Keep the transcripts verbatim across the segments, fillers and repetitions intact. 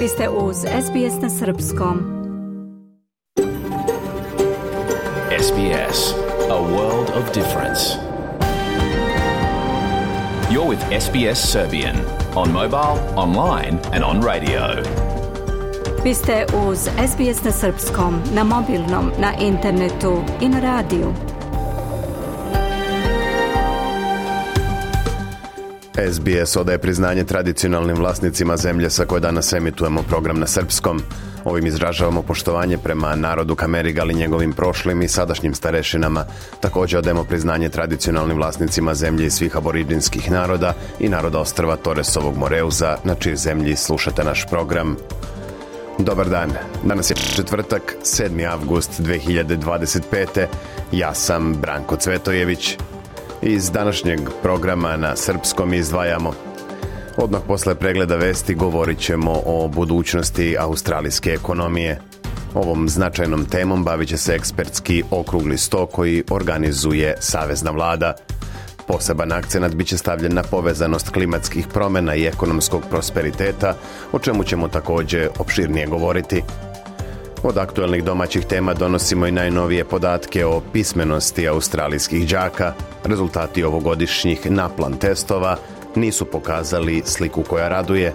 Vi ste uz S B S na srpskom. S B S, a world of difference. You're with S B S Serbian on mobile, online and on radio. Vi ste uz S B S na srpskom, na mobilnom, na internetu i na radiju. S B S odaje priznanje tradicionalnim vlasnicima zemlje sa koje danas emitujemo program na srpskom. Ovim izražavamo poštovanje prema narodu Kamerigal i njegovim prošlim i sadašnjim starešinama. Također odajemo priznanje tradicionalnim vlasnicima zemlje i svih aboridžinskih naroda i naroda ostrva Toresovog Moreuza, na čijoj zemlji slušate naš program. Dobar dan, danas je četvrtak, sedmi avgust dve hiljade dvadeset pete. Ja sam Branko Cvetojević. Iz današnjeg programa na srpskom izdvajamo. Odmah posle pregleda vesti govorit ćemo o budućnosti australijske ekonomije. Ovom značajnom temom bavit će se ekspertski okrugli sto koji organizuje Savezna vlada. Poseban akcenat bit će stavljen na povezanost klimatskih promjena i ekonomskog prosperiteta, o čemu ćemo također opširnije govoriti. Od aktualnih domaćih tema donosimo i najnovije podatke o pismenosti australijskih đaka. Rezultati ovogodišnjih naplan testova nisu pokazali sliku koja raduje.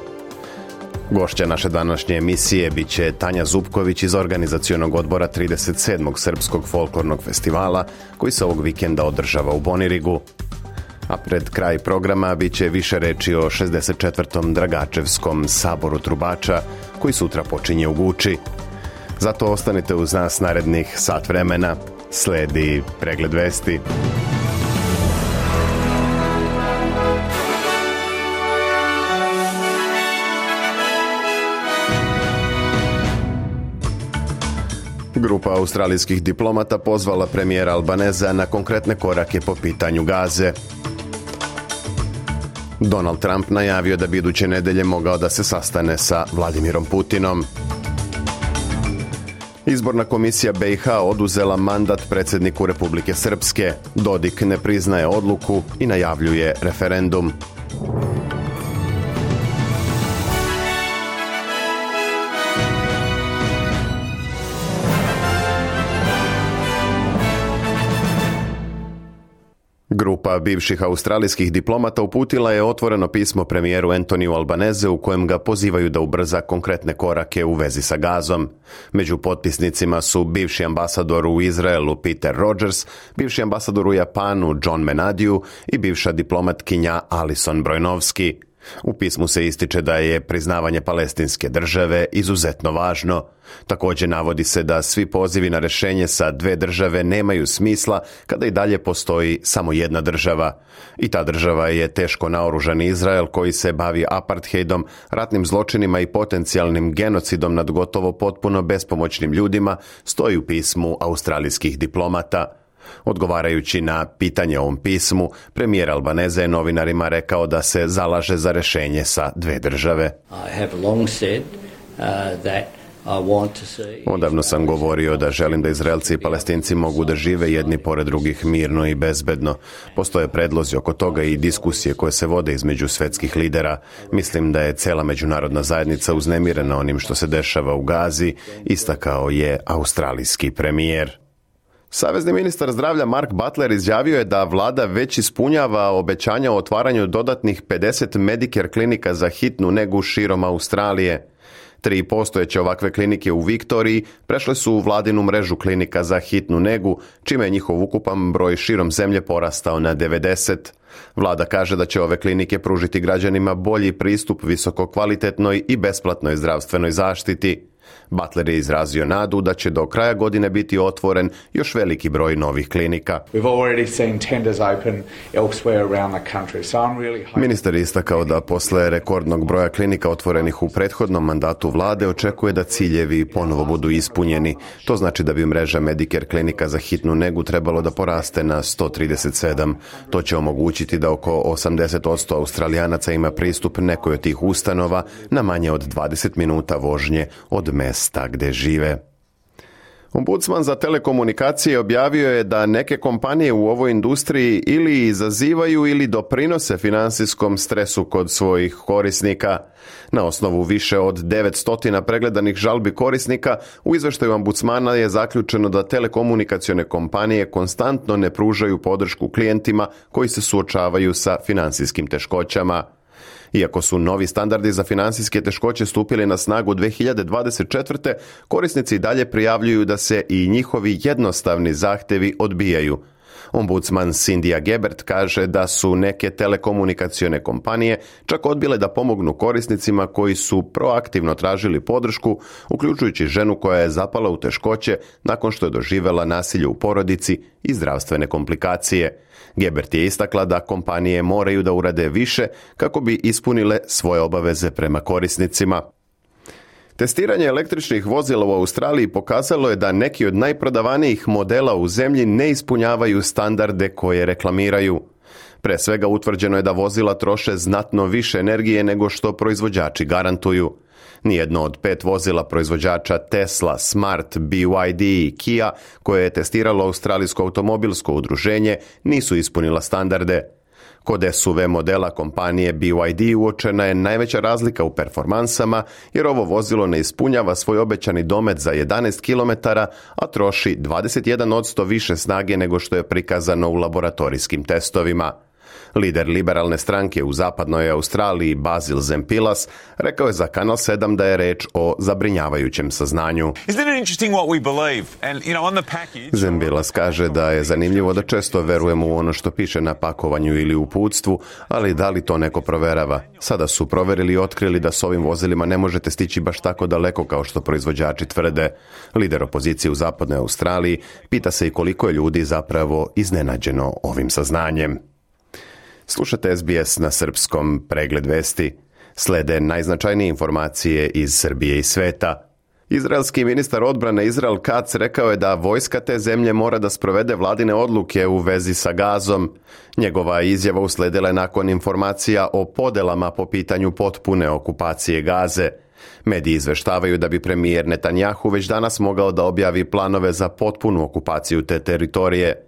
Gošća naše današnje emisije bit će Tanja Zupković iz organizacionog odbora trideset sedmog Srpskog folklornog festivala koji se ovog vikenda održava u Bonirigu. A pred kraj programa bit će više reči o šezdeset četvrtom Dragačevskom saboru trubača koji sutra počinje u Guči. Zato ostanite uz nas narednih sat vremena. Sledi pregled vesti. Grupa australijskih diplomata pozvala premijera Albaneza na konkretne korake po pitanju Gaze. Donald Trump najavio da bi iduće nedelje mogao da se sastane sa Vladimirom Putinom. Izborna komisija B i H oduzela mandat predsjedniku Republike Srpske. Dodik ne priznaje odluku i najavljuje referendum. Grupa bivših australijskih diplomata uputila je otvoreno pismo premijeru Antoniju Albaneze u kojem ga pozivaju da ubrza konkretne korake u vezi sa Gazom. Među potpisnicima su bivši ambasador u Izraelu Peter Rogers, bivši ambasador u Japanu John Menadiu i bivša diplomatkinja Alison Brojnovski. U pismu se ističe da je priznavanje palestinske države izuzetno važno. Također navodi se da svi pozivi na rješenje sa dve države nemaju smisla kada i dalje postoji samo jedna država. I ta država je teško naoružani Izrael koji se bavi apartheidom, ratnim zločinima i potencijalnim genocidom nad gotovo potpuno bespomoćnim ljudima, stoji u pismu australijskih diplomata. Odgovarajući na pitanje o ovom pismu, premijer Albaneze je novinarima rekao da se zalaže za rješenje sa dve države. Odavno sam govorio da želim da Izraelci i Palestinci mogu da žive jedni pored drugih mirno i bezbedno. Postoje predlozi oko toga i diskusije koje se vode između svetskih lidera. Mislim da je cela međunarodna zajednica uznemirena onim što se dešava u Gazi, istakao je australijski premijer. Savezni ministar zdravlja Mark Butler izjavio je da vlada već ispunjava obećanja o otvaranju dodatnih pedeset Medicare klinika za hitnu negu širom Australije. Tri postojeće ovakve klinike u Viktoriji prešle su u vladinu mrežu klinika za hitnu negu, čime je njihov ukupan broj širom zemlje porastao na devedeset. Vlada kaže da će ove klinike pružiti građanima bolji pristup visokokvalitetnoj i besplatnoj zdravstvenoj zaštiti. Butler je izrazio nadu da će do kraja godine biti otvoren još veliki broj novih klinika. Ministar je istakao da posle rekordnog broja klinika otvorenih u prethodnom mandatu vlade očekuje da ciljevi ponovo budu ispunjeni. To znači da bi mreža Medicare klinika za hitnu negu trebalo da poraste na sto trideset sedam. To će omogućiti da oko osamdeset posto Australijanaca ima pristup nekoj od tih ustanova na manje od dvadeset minuta vožnje od mesta gde žive. Ombudsman za telekomunikacije objavio je da neke kompanije u ovoj industriji ili izazivaju ili doprinose financijskom stresu kod svojih korisnika. Na osnovu više od devetsto pregledanih žalbi korisnika, u izveštaju ombudsmana je zaključeno da telekomunikacione kompanije konstantno ne pružaju podršku klijentima koji se suočavaju sa financijskim teškoćama. Iako su novi standardi za financijske teškoće stupili na snagu dve hiljade dvadeset četvrte. korisnici dalje prijavljuju da se i njihovi jednostavni zahtevi odbijaju. Ombudsman Cynthia Gebert kaže da su neke telekomunikacione kompanije čak odbile da pomognu korisnicima koji su proaktivno tražili podršku, uključujući ženu koja je zapala u teškoće nakon što je doživjela nasilje u porodici i zdravstvene komplikacije. Gebert je istakla da kompanije moraju da urade više kako bi ispunile svoje obaveze prema korisnicima. Testiranje električnih vozila u Australiji pokazalo je da neki od najprodavanijih modela u zemlji ne ispunjavaju standarde koje reklamiraju. Pre svega utvrđeno je da vozila troše znatno više energije nego što proizvođači garantuju. Nijedno od pet vozila proizvođača Tesla, Smart, B Y D i Kia, koje je testiralo Australijsko automobilsko udruženje, nisu ispunila standarde. Kod S U V modela kompanije B Y D uočena je najveća razlika u performansama, jer ovo vozilo ne ispunjava svoj obećani domet za jedanaest kilometara, a troši dvadeset jedan posto više snage nego što je prikazano u laboratorijskim testovima. Lider liberalne stranke u zapadnoj Australiji, Basil Zempilas, rekao je za Kanal sedam da je reč o zabrinjavajućem saznanju. Zempilas kaže da je zanimljivo da često verujemo u ono što piše na pakovanju ili u uputstvu, ali da li to neko proverava? Sada su proverili i otkrili da s ovim vozilima ne možete stići baš tako daleko kao što proizvođači tvrde. Lider opozicije u zapadnoj Australiji pita se i koliko je ljudi zapravo iznenađeno ovim saznanjem. Slušate S B S na srpskom, pregled vesti. Slede najznačajnije informacije iz Srbije i sveta. Izraelski ministar odbrane Izrael Katz rekao je da vojska te zemlje mora da sprovede vladine odluke u vezi sa Gazom. Njegova izjava usledila je nakon informacija o podelama po pitanju potpune okupacije Gaze. Mediji izveštavaju da bi premijer Netanjahu već danas mogao da objavi planove za potpunu okupaciju te teritorije.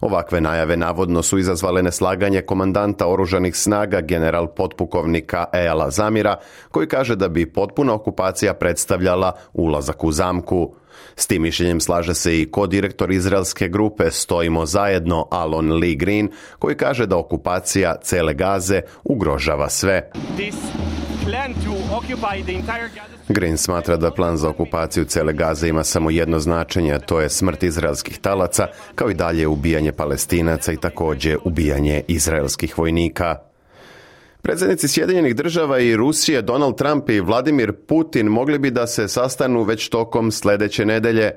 Ovakve najave navodno su izazvale neslaganje komandanta oružanih snaga general potpukovnika Eyala Zamira, koji kaže da bi potpuna okupacija predstavljala ulazak u zamku. S tim mišljenjem slaže se i kodirektor izraelske grupe Stojimo zajedno Alon Lee Green, koji kaže da okupacija cele Gaze ugrožava sve. Green smatra da plan za okupaciju cele Gaze ima samo jedno značenje, a to je smrt izraelskih talaca, kao i dalje ubijanje Palestinaca i također ubijanje izraelskih vojnika. Predsjednici Sjedinjenih država i Rusije Donald Trump i Vladimir Putin mogli bi da se sastanu već tokom sljedeće nedelje.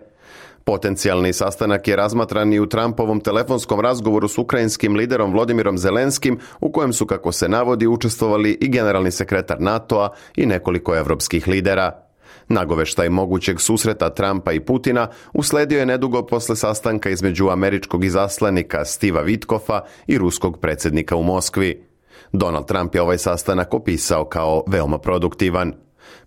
Potencijalni sastanak je razmatran i u Trumpovom telefonskom razgovoru s ukrajinskim liderom Volodymyrom Zelenskim, u kojem su, kako se navodi, učestvovali i generalni sekretar NATO-a i nekoliko evropskih lidera. Nagoveštaj mogućeg susreta Trumpa i Putina usledio je nedugo posle sastanka između američkog izaslanika Steva Witkoffa i ruskog predsjednika u Moskvi. Donald Trump je ovaj sastanak opisao kao veoma produktivan.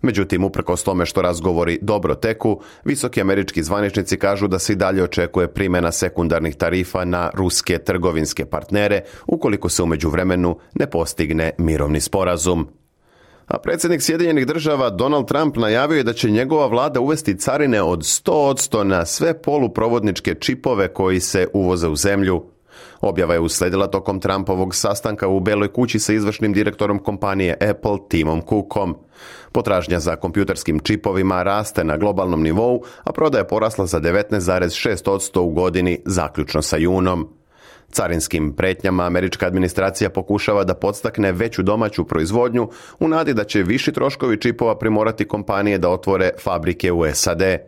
Međutim, uprkos tome što razgovori dobro teku, visoki američki zvaničnici kažu da se i dalje očekuje primjena sekundarnih tarifa na ruske trgovinske partnere ukoliko se u međuvremenu ne postigne mirovni sporazum. A predsjednik Sjedinjenih država Donald Trump najavio je da će njegova vlada uvesti carine od sto posto na sve poluprovodničke čipove koji se uvoze u zemlju. Objava je usledila tokom Trumpovog sastanka u Beloj kući sa izvršnim direktorom kompanije Apple Timom Cookom. Potražnja za kompjuterskim čipovima raste na globalnom nivou, a prodaja je porasla za devetnaest zarez šest posto u godini zaključno sa junom. Carinskim pretnjama američka administracija pokušava da podstakne veću domaću proizvodnju u nadi da će viši troškovi čipova primorati kompanije da otvore fabrike u S A D.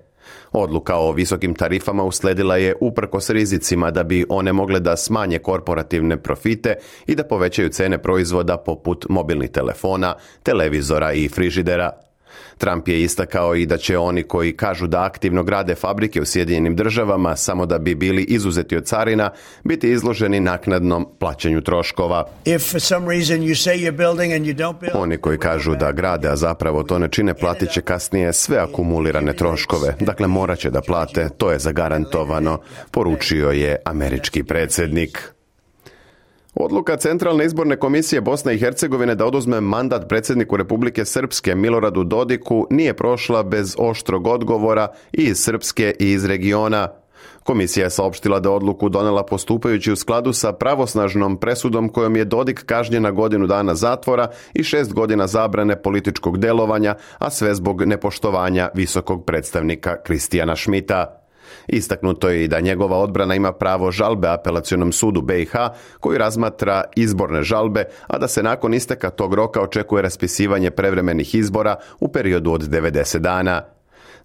Odluka o visokim tarifama usledila je uprkos rizicima da bi one mogle da smanje korporativne profite i da povećaju cene proizvoda poput mobilnih telefona, televizora i frižidera. Trump je istakao i da će oni koji kažu da aktivno grade fabrike u Sjedinjenim državama samo da bi bili izuzeti od carina, biti izloženi naknadnom plaćanju troškova. Oni koji kažu da grade, a zapravo to ne čine, platit će kasnije sve akumulirane troškove. Dakle, morat će da plate, to je zagarantovano, poručio je američki predsjednik. Odluka Centralne izborne komisije Bosne i Hercegovine da oduzme mandat predsjedniku Republike Srpske Miloradu Dodiku nije prošla bez oštrog odgovora i iz Srpske i iz regiona. Komisija je saopštila da odluku donela postupajući u skladu sa pravosnažnom presudom kojom je Dodik kažnjen na godinu dana zatvora i šest godina zabrane političkog delovanja, a sve zbog nepoštovanja visokog predstavnika Kristijana Šmita. Istaknuto je i da njegova odbrana ima pravo žalbe apelacionom sudu B i H koji razmatra izborne žalbe, a da se nakon isteka tog roka očekuje raspisivanje prevremenih izbora u periodu od devedeset dana.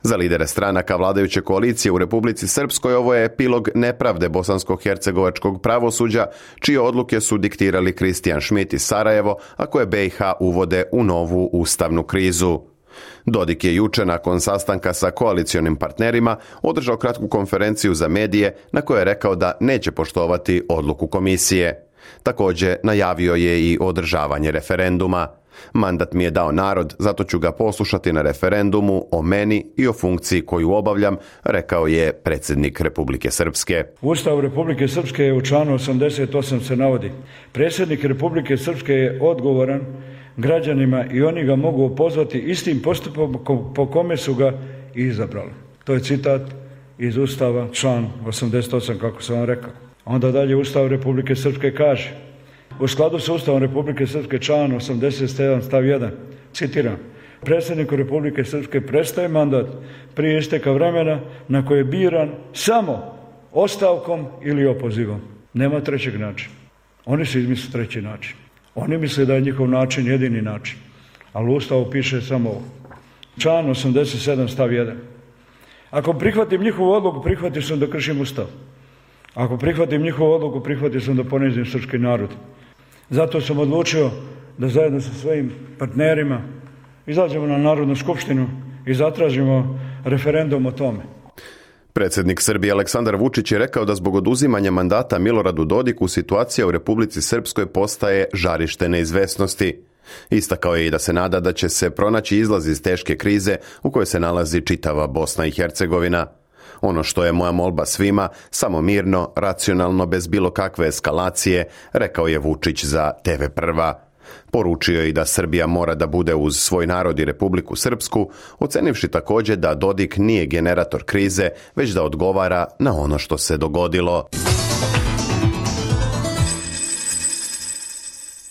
Za lidere stranaka vladajuće koalicije u Republici Srpskoj ovo je epilog nepravde bosansko-hercegovačkog pravosuđa, čije odluke su diktirali Kristijan Šmit i Sarajevo, a koje B i H uvode u novu ustavnu krizu. Dodik je juče nakon sastanka sa koalicionim partnerima održao kratku konferenciju za medije na kojoj je rekao da neće poštovati odluku komisije. Također najavio je i održavanje referenduma. Mandat mi je dao narod, zato ću ga poslušati na referendumu o meni i o funkciji koju obavljam, rekao je predsjednik Republike Srpske. U Ustavu Republike Srpske u članu osamdeset osam se navodi: predsjednik Republike Srpske je odgovoran građanima i oni ga mogu pozvati istim postupom po kome su ga i izabrali. To je citat iz Ustava, član osamdeset osam, kako sam vam rekao. Onda dalje Ustav Republike Srpske kaže: u skladu s Ustavom Republike Srpske, član osamdeset sedam stav jedan, citiram: predsjedniku Republike Srpske prestaje mandat prije isteka vremena na koje je biran samo ostavkom ili opozivom. Nema trećeg načina. Oni su izmislili treći način. Oni misle da je njihov način jedini način. Ali u Ustavu piše samo ovo. Član osamdeset sedam stav jedan. Ako prihvatim njihovu odluku, prihvatim sam da kršim Ustav. Ako prihvatim njihovu odluku, prihvatim sam da ponizim srpski narod. Zato sam odlučio da zajedno sa svojim partnerima izađemo na Narodnu skupštinu i zatražimo referendum o tome. Predsjednik Srbije Aleksandar Vučić je rekao da zbog oduzimanja mandata Miloradu Dodiku situacija u Republici Srpskoj postaje žarište neizvesnosti. Istakao je i da se nada da će se pronaći izlaz iz teške krize u kojoj se nalazi čitava Bosna i Hercegovina. Ono što je moja molba svima, samo mirno, racionalno, bez bilo kakve eskalacije, rekao je Vučić za T V Prva. Poručio je i da Srbija mora da bude uz svoj narod i Republiku Srpsku, ocenivši također da Dodik nije generator krize, već da odgovara na ono što se dogodilo.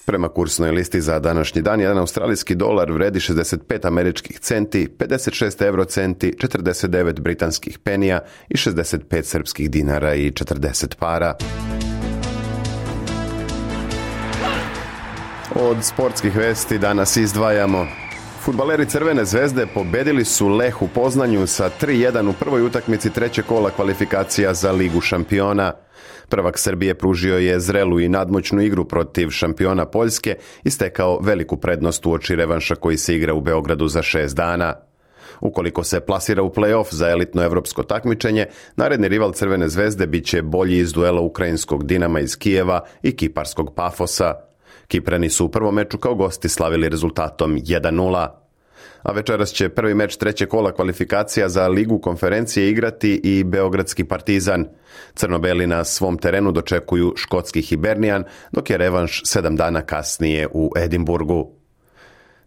Prema kursnoj listi za današnji dan, jedan australijski dolar vredi šezdeset pet američkih centi, pedeset šest eurocenti, četrdeset devet britanskih penija i šezdeset pet srpskih dinara i četrdeset para. Od sportskih vesti danas izdvajamo: fudbaleri Crvene zvezde pobedili su Leh u Poznanju sa tri jedan u prvoj utakmici trećeg kola kvalifikacija za Ligu šampiona. Prvak Srbije pružio je zrelu i nadmoćnu igru protiv šampiona Poljske i stekao veliku prednost uoči revanša koji se igra u Beogradu za šest dana. Ukoliko se plasira u play-off za elitno evropsko takmičenje, naredni rival Crvene zvezde bit će bolji iz duela ukrajinskog Dinama iz Kijeva i kiparskog Pafosa. Kiprani su u prvom meču kao gosti slavili rezultatom jedan nula. A večeras će prvi meč trećeg kola kvalifikacija za Ligu konferencije igrati i beogradski Partizan. Crnobeli na svom terenu dočekuju škotski Hibernian, dok je revanš sedam dana kasnije u Edinburgu.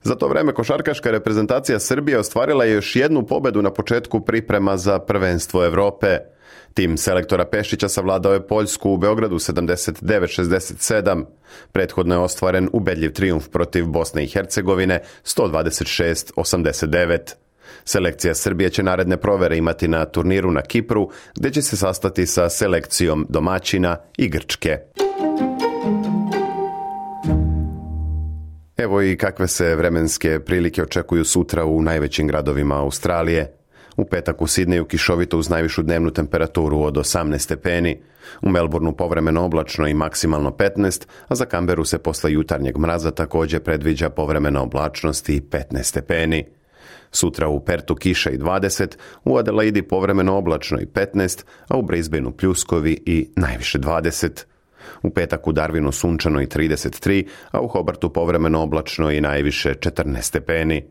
Za to vreme košarkaška reprezentacija Srbije ostvarila je još jednu pobedu na početku priprema za prvenstvo Evrope. Tim selektora Pešića savladao je Poljsku u Beogradu sedamdeset devet šezdeset sedam. Prethodno je ostvaren ubedljiv trijumf protiv Bosne i Hercegovine sto dvadeset šest osamdeset devet. Selekcija Srbije će naredne provere imati na turniru na Kipru, gdje će se sastati sa selekcijom domaćina i Grčke. Evo i kakve se vremenske prilike očekuju sutra u najvećim gradovima Australije. U petak u Sidneju kišovito uz najvišu dnevnu temperaturu od osamnaest stepeni, u Melbourneu povremeno oblačno i maksimalno petnaest, a za Kamberu se posle jutarnjeg mraza također predviđa povremena oblačnost i petnaest stepeni. Sutra u Pertu kiša i dvadeset, u Adelaidi povremeno oblačno i petnaest, a u Brisbaneu pljuskovi i najviše dvadeset. U petak u Darwinu sunčano i trideset tri, a u Hobartu povremeno oblačno i najviše četrnaest stepeni.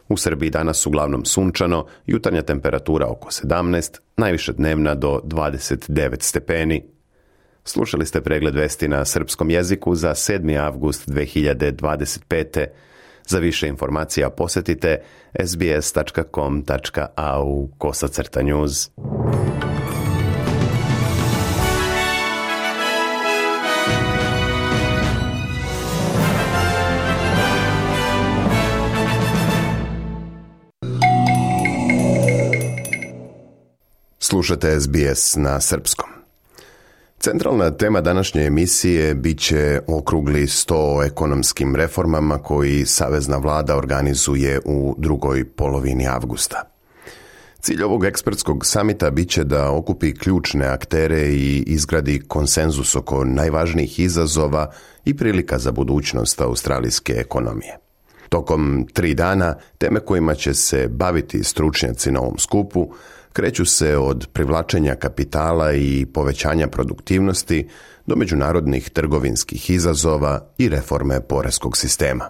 U Srbiji danas uglavnom sunčano, jutarnja temperatura oko sedamnaest, najviše dnevna do dvadeset devet stepeni. Slušali ste pregled vesti na srpskom jeziku za sedmi avgust dve hiljade dvadeset pete. Za više informacija posjetite sbs tačka com tačka a u kosacrta news. Slušate S B S na srpskom. Centralna tema današnje emisije bit će okrugli sto o ekonomskim reformama koji Savezna vlada organizuje u drugoj polovini avgusta. Cilj ovog ekspertskog samita bit će da okupi ključne aktere i izgradi konsenzus oko najvažnijih izazova i prilika za budućnost australijske ekonomije. Tokom tri dana teme kojima će se baviti stručnjaci na ovom skupu kreću se od privlačenja kapitala i povećanja produktivnosti do međunarodnih trgovinskih izazova i reforme poreskog sistema.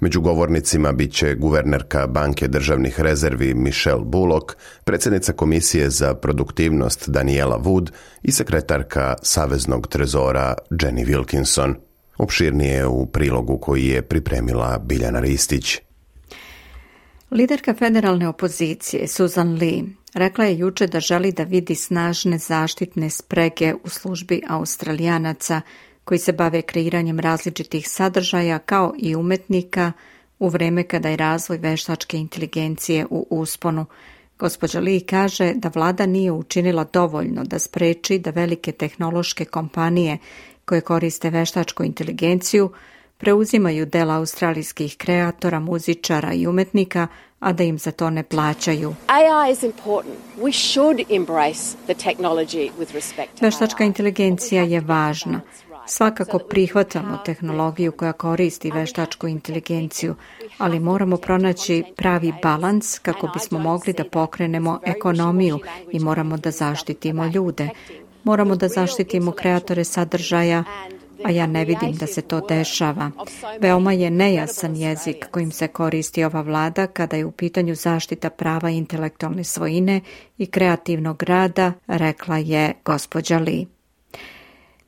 Među govornicima bit će guvernerka Banke državnih rezervi Michelle Bullock, predsjednica Komisije za produktivnost Daniela Wood i sekretarka Saveznog trezora Jenny Wilkinson. Opširnije u prilogu koji je pripremila Biljana Ristić. Liderka federalne opozicije Susan Lee rekla je juče da želi da vidi snažne zaštitne sprege u službi Australijanaca koji se bave kreiranjem različitih sadržaja kao i umetnika u vreme kada je razvoj veštačke inteligencije u usponu. Gospođa Lee kaže da vlada nije učinila dovoljno da spreči da velike tehnološke kompanije koje koriste veštačku inteligenciju preuzimaju dela australijskih kreatora, muzičara i umetnika, a da im za to ne plaćaju. A I is important. We should embrace the technology with respect to Veštačka inteligencija je važna. Svakako prihvatamo tehnologiju koja koristi veštačku inteligenciju, ali moramo pronaći pravi balans kako bismo mogli da pokrenemo ekonomiju i moramo da zaštitimo ljude. Moramo da zaštitimo kreatore sadržaja, a ja ne vidim da se to dešava. Veoma je nejasan jezik kojim se koristi ova vlada kada je u pitanju zaštita prava intelektualne svojine i kreativnog rada, rekla je gospođa Lee.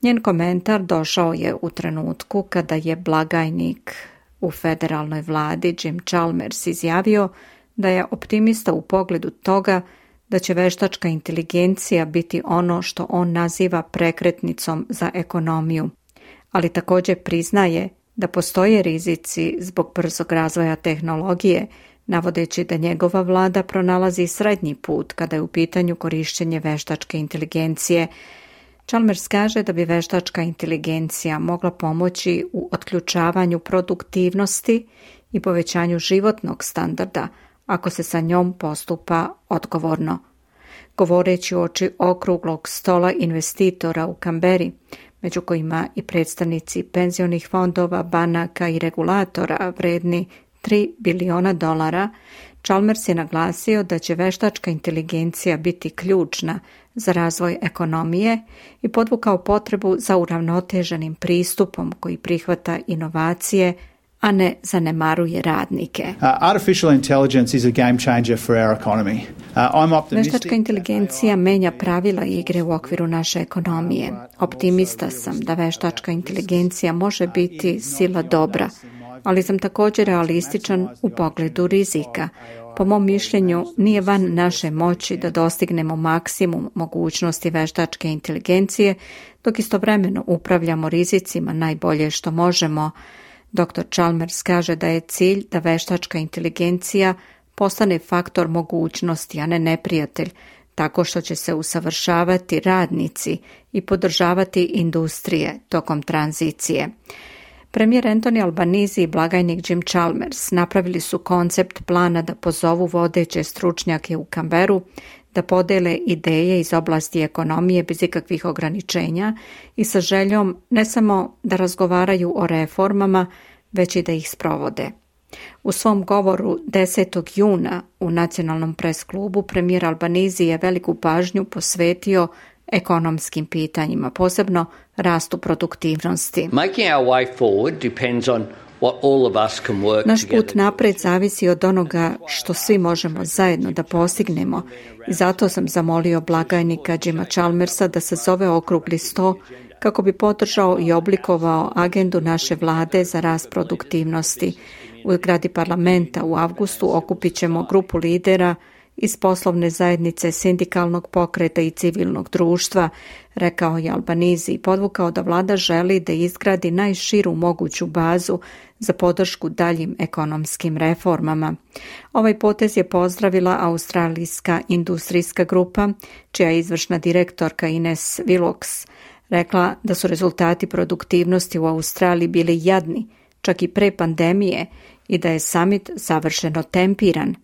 Njen komentar došao je u trenutku kada je blagajnik u federalnoj vladi Jim Chalmers izjavio da je optimista u pogledu toga da će veštačka inteligencija biti ono što on naziva prekretnicom za ekonomiju, ali također priznaje da postoje rizici zbog brzog razvoja tehnologije, navodeći da njegova vlada pronalazi srednji put kada je u pitanju korišćenje veštačke inteligencije. Chalmers kaže da bi veštačka inteligencija mogla pomoći u otključavanju produktivnosti i povećanju životnog standarda ako se sa njom postupa odgovorno. Govoreći uoči okruglog stola investitora u Kamberi, među kojima i predstavnici penzionih fondova, banaka i regulatora vredni tri biliona dolara, Chalmers je naglasio da će veštačka inteligencija biti ključna za razvoj ekonomije i podvukao potrebu za uravnoteženim pristupom koji prihvata inovacije, a ne zanemaruje radnike. Uh, artificial intelligence is a game changer for our economy. Uh, I'm optimistic. Veštačka inteligencija menja pravila igre u okviru naše ekonomije. Optimista sam da veštačka inteligencija može biti sila dobra, ali sam također realističan u pogledu rizika. Po mom mišljenju, nije van naše moći da dostignemo maksimum mogućnosti veštačke inteligencije, dok istovremeno upravljamo rizicima najbolje što možemo. doktor Chalmers kaže da je cilj da veštačka inteligencija postane faktor mogućnosti, a ne neprijatelj, tako što će se usavršavati radnici i podržavati industrije tokom tranzicije. Premijer Anthony Albanese i blagajnik Jim Chalmers napravili su koncept plana da pozovu vodeće stručnjake u Kamberu, da podele ideje iz oblasti ekonomije bez ikakvih ograničenja i sa željom ne samo da razgovaraju o reformama, već i da ih sprovode. U svom govoru desetog juna u Nacionalnom pres klubu premijer Albanizi je veliku pažnju posvetio ekonomskim pitanjima, posebno rastu produktivnosti. Making our way forward depends on what all of us can work Naš together. put napred zavisi od onoga što svi možemo zajedno da postignemo i zato sam zamolio blagajnika Jima Chalmersa da se zove okrugli sto kako bi podržao i oblikovao agendu naše vlade za rast produktivnosti. U zgradi parlamenta u avgustu okupit ćemo grupu lidera iz poslovne zajednice, sindikalnog pokreta i civilnog društva, rekao je Albanizi i podvukao da vlada želi da izgradi najširu moguću bazu za podršku daljim ekonomskim reformama. Ovaj potez je pozdravila australijska industrijska grupa, čija je izvršna direktorka Ines Willox rekla da su rezultati produktivnosti u Australiji bili jadni, čak i pre pandemije, i da je summit savršeno tempiran.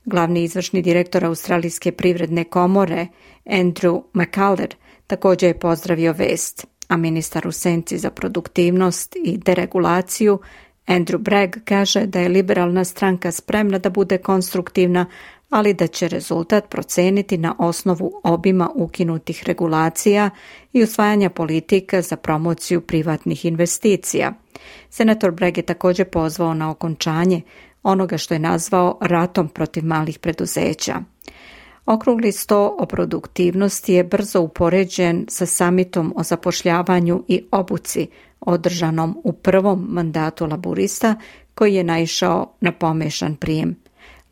Glavni izvršni direktor Australijske privredne komore, Andrew McCuller, također je pozdravio vest, a ministar u senci za produktivnost i deregulaciju, Andrew Bragg, kaže da je liberalna stranka spremna da bude konstruktivna, ali da će rezultat proceniti na osnovu obima ukinutih regulacija i usvajanja politika za promociju privatnih investicija. Senator Bragg je također pozvao na okončanje onoga što je nazvao ratom protiv malih preduzeća. Okrugli sto o produktivnosti je brzo upoređen sa samitom o zapošljavanju i obuci održanom u prvom mandatu laburista, koji je naišao na pomešan prijem.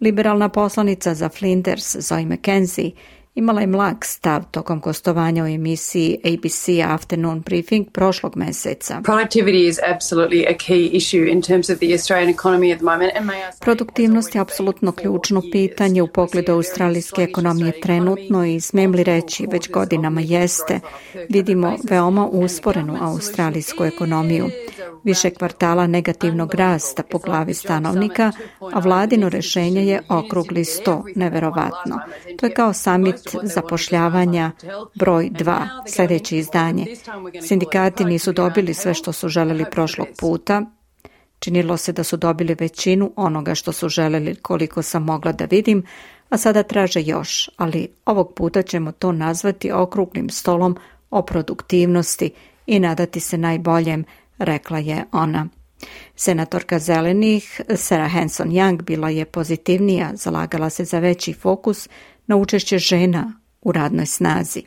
Liberalna poslanica za Flinders Zoe McKenzie imala je mlak stav tokom gostovanja u emisiji A B C Afternoon Briefing prošlog meseca. Productivity is absolutely a key issue in terms of the Australian economy at the moment. And may I say, Produktivnost je apsolutno ključno pitanje u pogledu australijske ekonomije trenutno i smijem li reći već godinama jeste. Vidimo veoma usporenu australijsku ekonomiju. Više kvartala negativnog rasta po glavi stanovnika, a vladino rešenje je okrugli sto, neverovatno. To je kao summit zapošljavanja broj dva, sljedeće izdanje. Sindikati nisu dobili sve što su želeli prošlog puta. Činilo se da su dobili većinu onoga što su želeli, koliko sam mogla da vidim, a sada traže još, ali ovog puta ćemo to nazvati okruglim stolom o produktivnosti i nadati se najboljem, rekla je ona. Senatorka zelenih Sarah Hanson-Young bila je pozitivnija, zalagala se za veći fokus na učešće žena u radnoj snazi.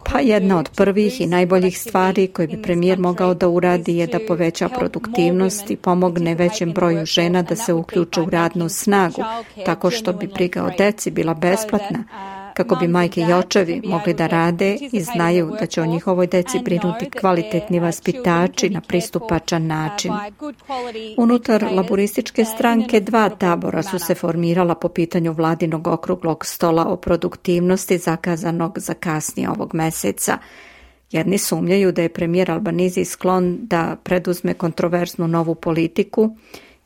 Pa jedna od prvih i najboljih stvari koje bi premijer mogao da uradi je da poveća produktivnost i pomogne većem broju žena da se uključe u radnu snagu, tako što bi briga o deci bila besplatna, kako bi majke i očevi mogli da rade i znaju da će o njihovoj deci brinuti kvalitetni vaspitači na pristupačan način. Unutar laburističke stranke dva tabora su se formirala po pitanju vladinog okruglog stola o produktivnosti zakazanog za kasnije ovog meseca. Jedni sumnjaju da je premijer Albanizi sklon da preduzme kontroverznu novu politiku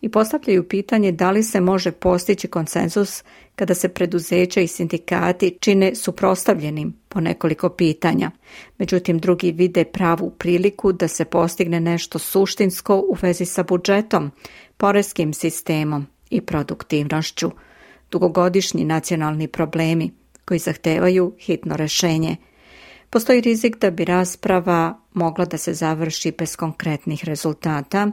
i postavljaju pitanje da li se može postići konsenzus kada se preduzeća i sindikati čine suprotstavljenim po nekoliko pitanja. Međutim, drugi vide pravu priliku da se postigne nešto suštinsko u vezi sa budžetom, poreskim sistemom i produktivnošću. Dugogodišnji nacionalni problemi koji zahtevaju hitno rešenje. Postoji rizik da bi rasprava mogla da se završi bez konkretnih rezultata,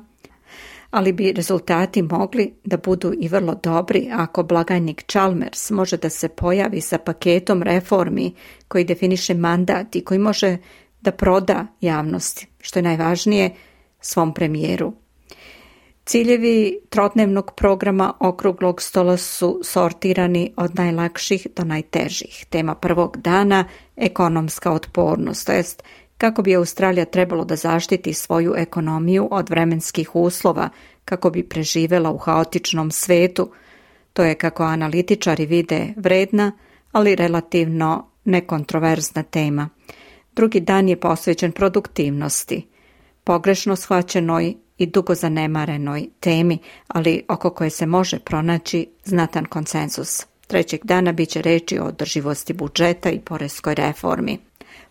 ali bi rezultati mogli da budu i vrlo dobri ako blagajnik Chalmers može da se pojavi sa paketom reformi koji definiše mandat i koji može da proda javnosti, što je najvažnije, svom premijeru. Ciljevi trodnevnog programa okruglog stola su sortirani od najlakših do najtežih. Tema prvog dana – ekonomska otpornost, to jest kako bi Australija trebalo da zaštiti svoju ekonomiju od vremenskih uslova kako bi preživela u haotičnom svetu. To je, kako analitičari vide, vredna, ali relativno nekontroverzna tema. Drugi dan je posvećen produktivnosti, pogrešno shvaćenoj i dugo zanemarenoj temi, ali oko koje se može pronaći znatan konsenzus. Trećeg dana biće reči o održivosti budžeta i poreskoj reformi.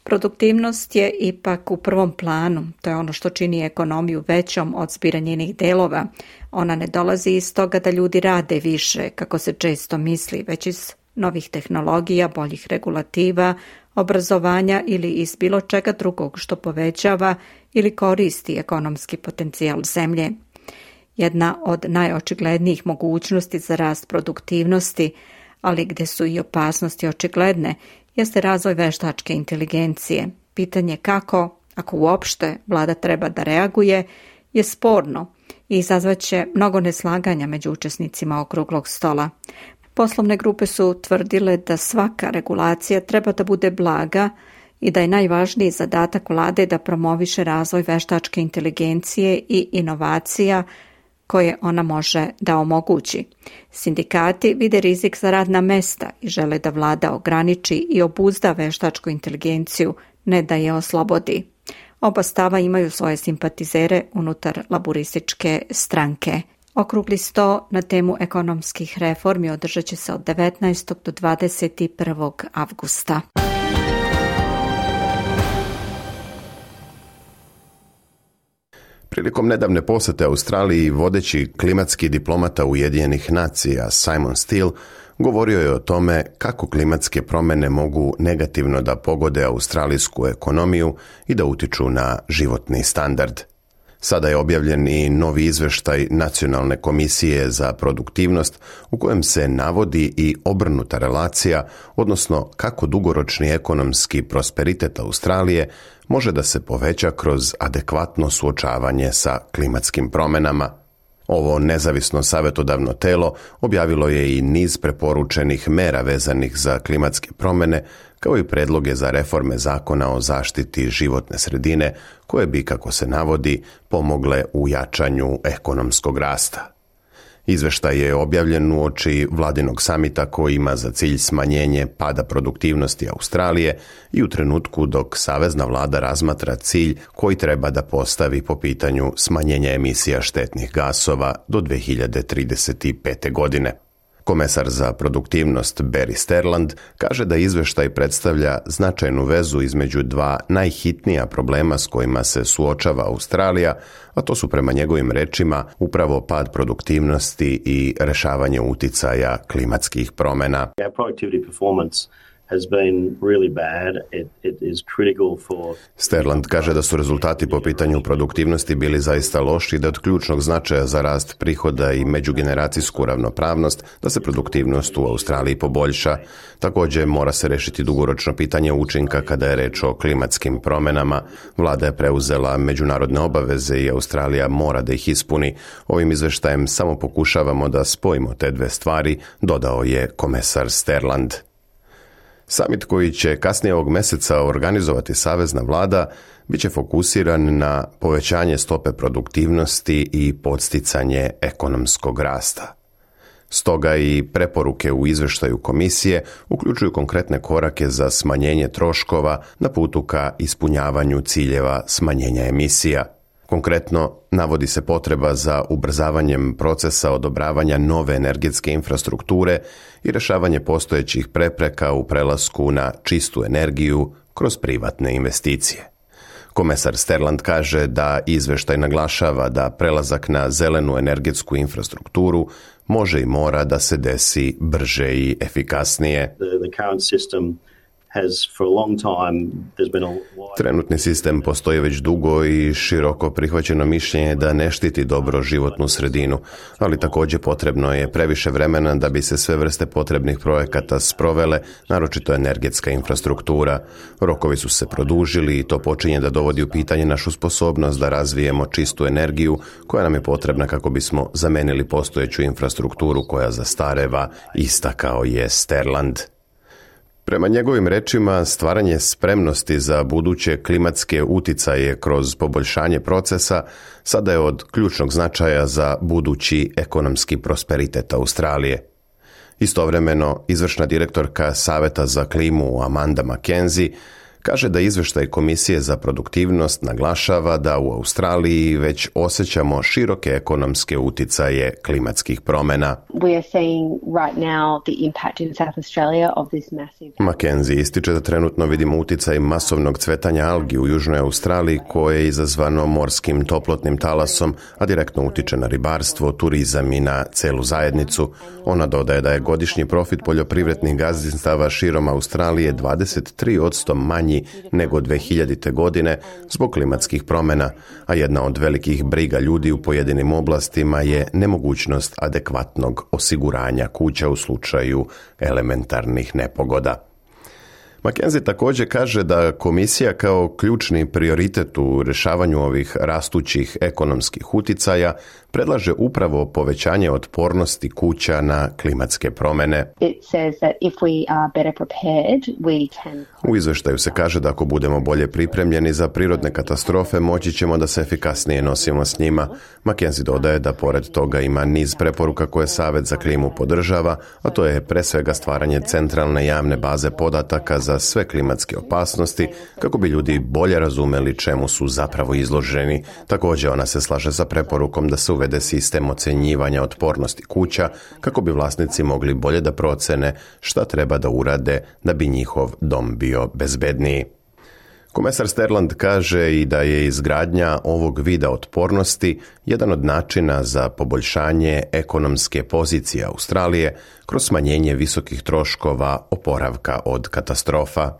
Produktivnost je ipak u prvom planu, to je ono što čini ekonomiju većom od zbira njenih delova. Ona ne dolazi iz toga da ljudi rade više, kako se često misli, već iz novih tehnologija, boljih regulativa, obrazovanja ili iz bilo čega drugog što povećava ili koristi ekonomski potencijal zemlje. Jedna od najočiglednijih mogućnosti za rast produktivnosti, ali gdje su i opasnosti očigledne, jeste razvoj veštačke inteligencije. Pitanje kako, ako uopšte vlada treba da reaguje, je sporno i izazvaće mnogo neslaganja među učesnicima okruglog stola. Poslovne grupe su tvrdile da svaka regulacija treba da bude blaga i da je najvažniji zadatak vlade da promoviše razvoj veštačke inteligencije i inovacija koje ona može da omogući. Sindikati vide rizik za radna mesta i žele da vlada ograniči i obuzda veštačku inteligenciju, ne da je oslobodi. Oba stava imaju svoje simpatizere unutar laburističke stranke. Okrugli sto na temu ekonomskih reformi održat će se od devetnaestog do dvadeset prvog avgusta. Prilikom nedavne posete Australiji vodeći klimatski diplomata Ujedinjenih nacija Simon Steele govorio je o tome kako klimatske promjene mogu negativno da pogode australijsku ekonomiju i da utiču na životni standard. Sada je objavljen i novi izveštaj Nacionalne komisije za produktivnost u kojem se navodi i obrnuta relacija, odnosno kako dugoročni ekonomski prosperitet Australije može da se poveća kroz adekvatno suočavanje sa klimatskim promjenama. Ovo nezavisno savjetodavno telo objavilo je i niz preporučenih mera vezanih za klimatske promjene, kao i predloge za reforme zakona o zaštiti životne sredine, koje bi, kako se navodi, pomogle u jačanju ekonomskog rasta. Izveštaj je objavljen uoči vladinog samita koji ima za cilj smanjenje pada produktivnosti Australije i u trenutku dok savezna vlada razmatra cilj koji treba da postavi po pitanju smanjenja emisija štetnih gasova do dve hiljade trideset pete. godine. Komesar za produktivnost Barry Sterland kaže da izveštaj predstavlja značajnu vezu između dva najhitnija problema s kojima se suočava Australija, a to su prema njegovim rečima upravo pad produktivnosti i rešavanje uticaja klimatskih promjena. Sterland kaže da su rezultati po pitanju produktivnosti bili zaista loši i da od ključnog značaja za rast prihoda i međugeneracijsku ravnopravnost da se produktivnost u Australiji poboljša. Također mora se rešiti dugoročno pitanje učinka kada je reč o klimatskim promjenama. Vlada je preuzela međunarodne obaveze i Australija mora da ih ispuni. Ovim izveštajem samo pokušavamo da spojimo te dve stvari, dodao je komesar Sterland. Samit koji će kasnije ovog meseca organizovati savezna vlada biće fokusiran na povećanje stope produktivnosti i podsticanje ekonomskog rasta. Stoga i preporuke u izveštaju komisije uključuju konkretne korake za smanjenje troškova na putu ka ispunjavanju ciljeva smanjenja emisija. Konkretno, navodi se potreba za ubrzavanjem procesa odobravanja nove energetske infrastrukture i rješavanje postojećih prepreka u prelasku na čistu energiju kroz privatne investicije. Komesar Sterland kaže da izveštaj naglašava da prelazak na zelenu energetsku infrastrukturu može i mora da se desi brže i efikasnije. Trenutni sistem postoji već dugo i široko prihvaćeno mišljenje da ne štiti dobro životnu sredinu, ali također potrebno je previše vremena da bi se sve vrste potrebnih projekata sprovele, naročito energetska infrastruktura. Rokovi su se produžili i to počinje da dovodi u pitanje našu sposobnost da razvijemo čistu energiju koja nam je potrebna kako bismo zamenili postojeću infrastrukturu koja zastareva, istakao je Sterland. Prema njegovim rečima, stvaranje spremnosti za buduće klimatske uticaje kroz poboljšanje procesa sada je od ključnog značaja za budući ekonomski prosperitet Australije. Istovremeno, izvršna direktorka Saveta za klimu Amanda McKenzie Kaže da izveštaj Komisije za produktivnost naglašava da u Australiji već osjećamo široke ekonomske uticaje klimatskih promjena. Mackenzie ističe da trenutno vidimo uticaj masovnog cvetanja algi u Južnoj Australiji koje je izazvano morskim toplotnim talasom, a direktno utiče na ribarstvo, turizam i na celu zajednicu. Ona dodaje da je godišnji profit poljoprivrednih gazdinstava širom Australije dvadeset tri posto manji nego dve hiljadite. godine zbog klimatskih promjena, a jedna od velikih briga ljudi u pojedinim oblastima je nemogućnost adekvatnog osiguranja kuća u slučaju elementarnih nepogoda. Mackenzie također kaže da komisija kao ključni prioritet u rješavanju ovih rastućih ekonomskih uticaja predlaže upravo povećanje otpornosti kuća na klimatske promjene. U izvještaju se kaže da ako budemo bolje pripremljeni za prirodne katastrofe, moći ćemo da se efikasnije nosimo s njima. Mackenzie dodaje da pored toga ima niz preporuka koje Savjet za klimu podržava, a to je pre svega stvaranje centralne javne baze podataka za sve klimatske opasnosti, kako bi ljudi bolje razumeli čemu su zapravo izloženi. Također ona se slaže sa preporukom da se uvede sistem ocjenjivanja otpornosti kuća, kako bi vlasnici mogli bolje da procene šta treba da urade da bi njihov dom bio bezbedniji. Komesar Sterland kaže i da je izgradnja ovog vida otpornosti jedan od načina za poboljšanje ekonomske pozicije Australije kroz smanjenje visokih troškova oporavka od katastrofa.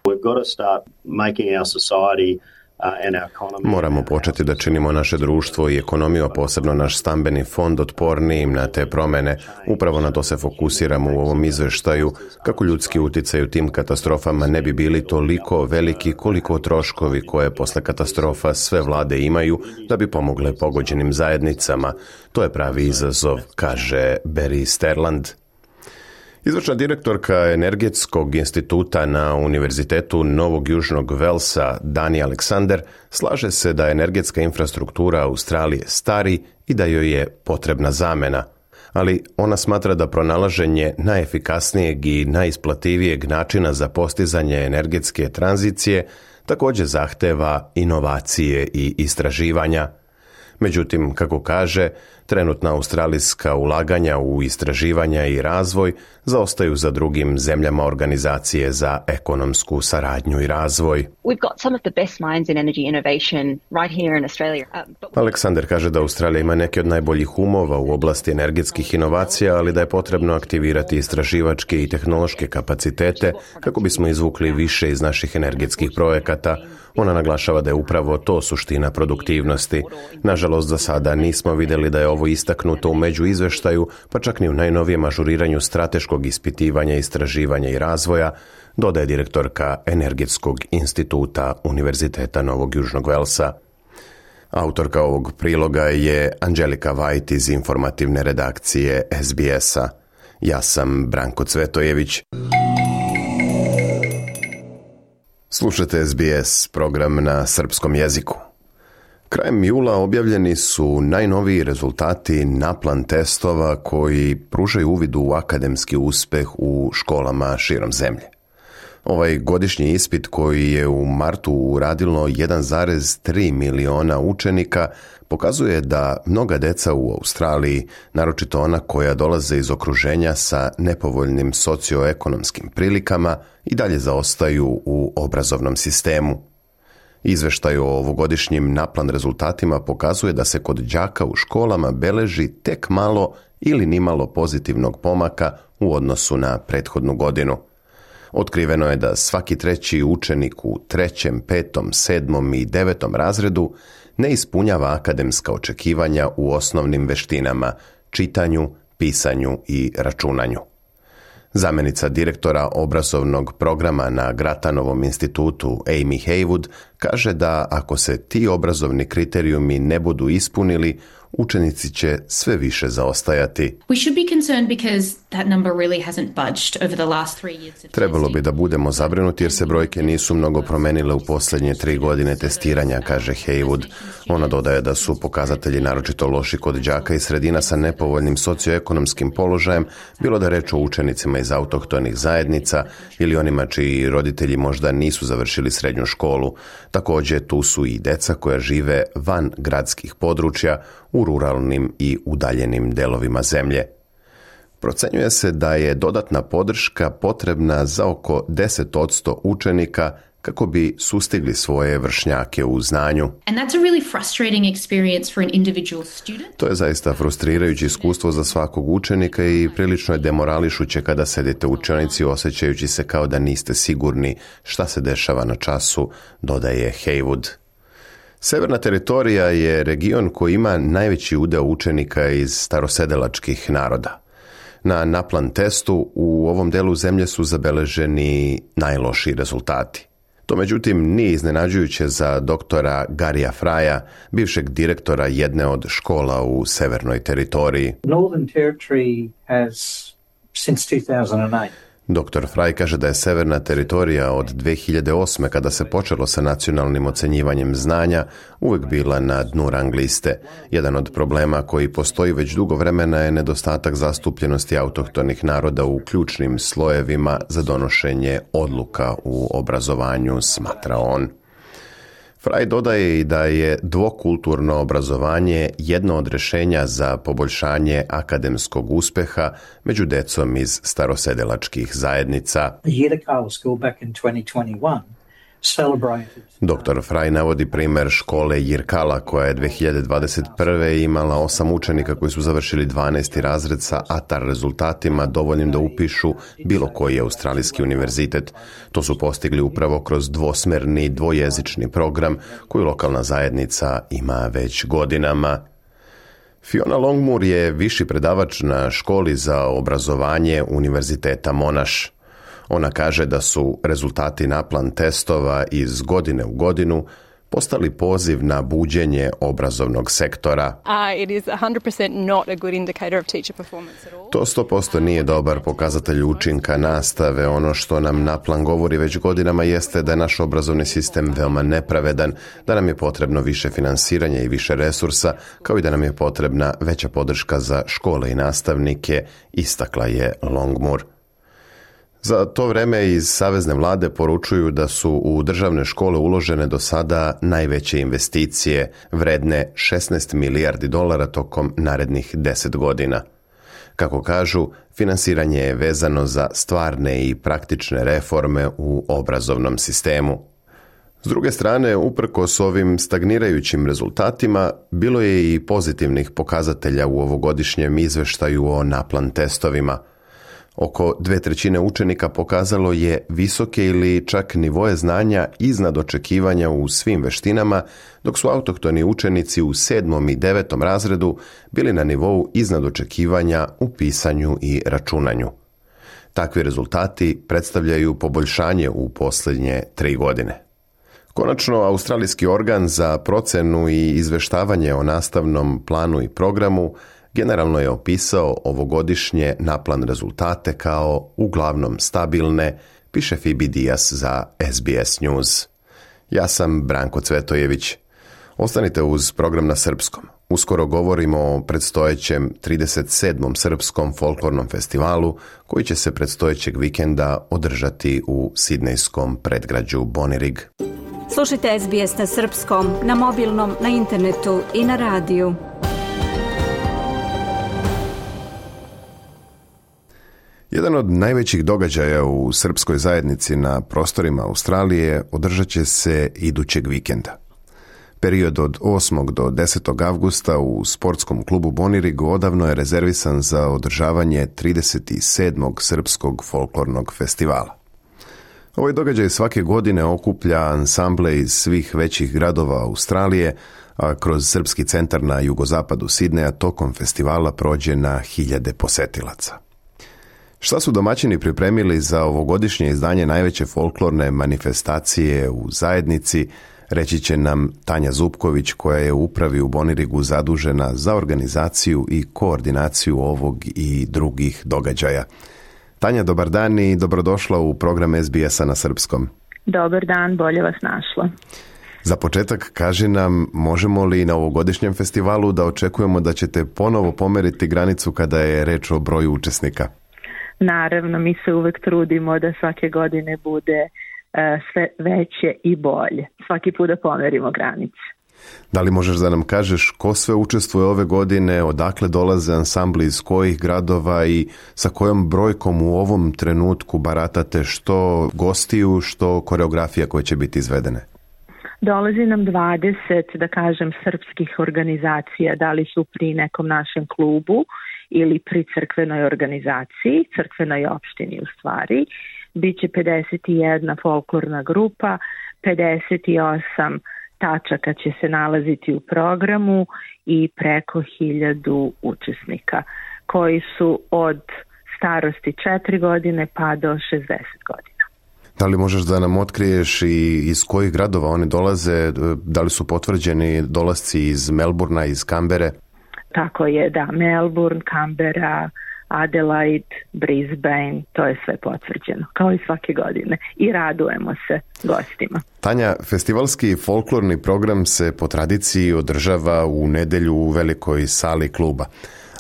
Moramo početi da činimo naše društvo i ekonomiju, a posebno naš stambeni fond otpornijim na te promjene. Upravo na to se fokusiramo u ovom izveštaju, kako ljudski utjecaj u tim katastrofama ne bi bili toliko veliki koliko troškovi koje posle katastrofa sve vlade imaju da bi pomogle pogođenim zajednicama. To je pravi izazov, kaže Barry Sterland. Izvršna direktorka Energetskog instituta na Univerzitetu Novog Južnog Velsa, Dani Alexander, slaže se da energetska infrastruktura Australije stari i da joj je potrebna zamena. Ali ona smatra da pronalaženje najefikasnijeg i najisplativijeg načina za postizanje energetske tranzicije također zahteva inovacije i istraživanja. Međutim, kako kaže, trenutna australijska ulaganja u istraživanja i razvoj zaostaju za drugim zemljama Organizacije za ekonomsku saradnju i razvoj. Aleksander kaže da Australija ima neke od najboljih umova u oblasti energetskih inovacija, ali da je potrebno aktivirati istraživačke i tehnološke kapacitete kako bismo izvukli više iz naših energetskih projekata. Ona naglašava da je upravo to suština produktivnosti. Nažalost, za sada nismo vidjeli da je ovo istaknuto u međuizveštaju, pa čak ni u najnovijem ažuriranju strateškog ispitivanja, istraživanja i razvoja, dodaje direktorka Energetskog instituta Univerziteta Novog Južnog Velsa. Autorka ovog priloga je Angelika White iz informativne redakcije S B S-a. Ja sam Branko Cvetojević. Slušate S B S, program na srpskom jeziku. Krajem jula objavljeni su najnoviji rezultati naplan testova koji pružaju uvid u akademski uspeh u školama širom zemlje. Ovaj godišnji ispit koji je u martu uradilo jedan zarez tri miliona učenika pokazuje da mnoga deca u Australiji, naročito ona koja dolaze iz okruženja sa nepovoljnim socioekonomskim prilikama, i dalje zaostaju u obrazovnom sistemu. Izveštaj o ovogodišnjim naplan rezultatima pokazuje da se kod đaka u školama beleži tek malo ili nimalo pozitivnog pomaka u odnosu na prethodnu godinu. Otkriveno je da svaki treći učenik u trećem, petom, sedmom i devetom razredu ne ispunjava akademska očekivanja u osnovnim veštinama, čitanju, pisanju i računanju. Zamenica direktora obrazovnog programa na Gratanovom institutu Amy Haywood kaže da ako se ti obrazovni kriterijumi ne budu ispunili, učenici će sve više zaostajati. Trebalo bi da budemo zabrinuti jer se brojke nisu mnogo promenile u posljednje tri godine testiranja, kaže Haywood. Ona dodaje da su pokazatelji naročito loši kod đaka i sredina sa nepovoljnim socioekonomskim položajem, bilo da reč o učenicima iz autohtonih zajednica ili onima čiji roditelji možda nisu završili srednju školu. Također tu su i deca koja žive van gradskih područja u ruralnim i udaljenim delovima zemlje. Procenjuje se da je dodatna podrška potrebna za oko deset posto učenika kako bi sustigli svoje vršnjake u znanju. To je zaista frustrirajuće iskustvo za svakog učenika i prilično je demorališuće kada sedite u učionici osjećajući se kao da niste sigurni šta se dešava na času, dodaje Haywood. Severna teritorija je region koji ima najveći udeo učenika iz starosedelačkih naroda. Na NAPLAN testu u ovom delu zemlje su zabeleženi najlošiji rezultati. To međutim nije iznenađujuće za doktora Garija Fraja, bivšeg direktora jedne od škola u severnoj teritoriji. Northern Territory has since two thousand eight doktor Fraj kaže da je severna teritorija od dve hiljade osme kada se počelo sa nacionalnim ocenjivanjem znanja uvek bila na dnu rang liste. Jedan od problema koji postoji već dugo vremena je nedostatak zastupljenosti autohtonih naroda u ključnim slojevima za donošenje odluka u obrazovanju, smatra on. Fraj dodaje i da je dvokulturno obrazovanje jedno od rješenja za poboljšanje akademskog uspeha među decom iz starosedelačkih zajednica. doktor Fraj navodi primjer škole Yirkala koja je dve hiljade dvadeset prve imala osam učenika koji su završili dvanaesti razred sa A T A R rezultatima dovoljnim da upišu bilo koji australijski univerzitet. To su postigli upravo kroz dvosmerni dvojezični program koji lokalna zajednica ima već godinama. Fiona Longmoor je viši predavač na školi za obrazovanje Univerziteta Monash. Ona kaže da su rezultati NAPLAN testova iz godine u godinu postali poziv na buđenje obrazovnog sektora. To sto posto nije dobar pokazatelj učinka nastave. Ono što nam NAPLAN govori već godinama jeste da je naš obrazovni sistem veoma nepravedan, da nam je potrebno više finansiranja i više resursa, kao i da nam je potrebna veća podrška za škole i nastavnike, istakla je Longmoor. Za to vreme iz savezne vlade poručuju da su u državne škole uložene do sada najveće investicije, vredne šesnaest milijardi dolara tokom narednih deset godina. Kako kažu, finansiranje je vezano za stvarne i praktične reforme u obrazovnom sistemu. S druge strane, uprkos ovim stagnirajućim rezultatima, bilo je i pozitivnih pokazatelja u ovogodišnjem izveštaju o NAPLAN testovima. Oko dve trećine učenika pokazalo je visoke ili čak nivoje znanja iznad očekivanja u svim veštinama, dok su autohtoni učenici u sedmom i devetom razredu bili na nivou iznad očekivanja u pisanju i računanju. Takvi rezultati predstavljaju poboljšanje u posljednje tri godine. Konačno, australijski organ za procenu i izveštavanje o nastavnom planu i programu generalno je opisao ovogodišnje NAPLAN rezultate kao uglavnom stabilne, piše Phoebe Diaz za S B S News. Ja sam Branko Cvetojević. Ostanite uz program na srpskom. Uskoro govorimo o predstojećem trideset sedmom srpskom folklornom festivalu koji će se predstojećeg vikenda održati u sidnejskom predgrađu Bonirig. Slušajte S B S na srpskom, na mobilnom, na internetu i na radiju. Jedan od najvećih događaja u srpskoj zajednici na prostorima Australije održat će se idućeg vikenda. Period od osmog do desetog avgusta u sportskom klubu Bonirig odavno je rezervisan za održavanje trideset sedmog srpskog folklornog festivala. Ovaj događaj svake godine okuplja ansamble iz svih većih gradova Australije, a kroz Srpski centar na jugozapadu Sidneja tokom festivala prođe na hiljade posetilaca. Šta su domaćini pripremili za ovogodišnje izdanje najveće folklorne manifestacije u zajednici, Reći će nam Tanja Zupković, koja je u upravi u Bonirigu zadužena za organizaciju i koordinaciju ovog i drugih događaja. Tanja, dobar dan i dobrodošla u program S B S-a na srpskom. Dobar dan, bolje vas našla. Za početak, kaži nam, možemo li na ovogodišnjem festivalu da očekujemo da ćete ponovo pomeriti granicu kada je reč o broju učesnika? Naravno, mi se uvek trudimo da svake godine bude uh, sve veće i bolje. Svaki put da pomerimo granice. Da li možeš da nam kažeš ko sve učestvuje ove godine, odakle dolaze ansambli iz kojih gradova i sa kojom brojkom u ovom trenutku baratate, što gostiju, što koreografija koje će biti izvedene? Dolazi nam dvadeset, da kažem, srpskih organizacija, da li su pri nekom našem klubu ili pri crkvenoj organizaciji, crkvenoj opštini u stvari. Biće pedeset jedna folklorna grupa, pedeset osam tačaka će se nalaziti u programu i preko hiljadu učesnika koji su od starosti četiri godine pa do šezdeset godina. Da li možeš da nam otkriješ i iz kojih gradova oni dolaze, da li su potvrđeni dolasci iz Melburna, iz Kambere? Tako je, da, Melbourne, Kambera, Adelaide, Brisbane, to je sve potvrđeno, kao i svake godine. I radujemo se gostima. Tanja, festivalski folklorni program se po tradiciji održava u nedelju u velikoj sali kluba.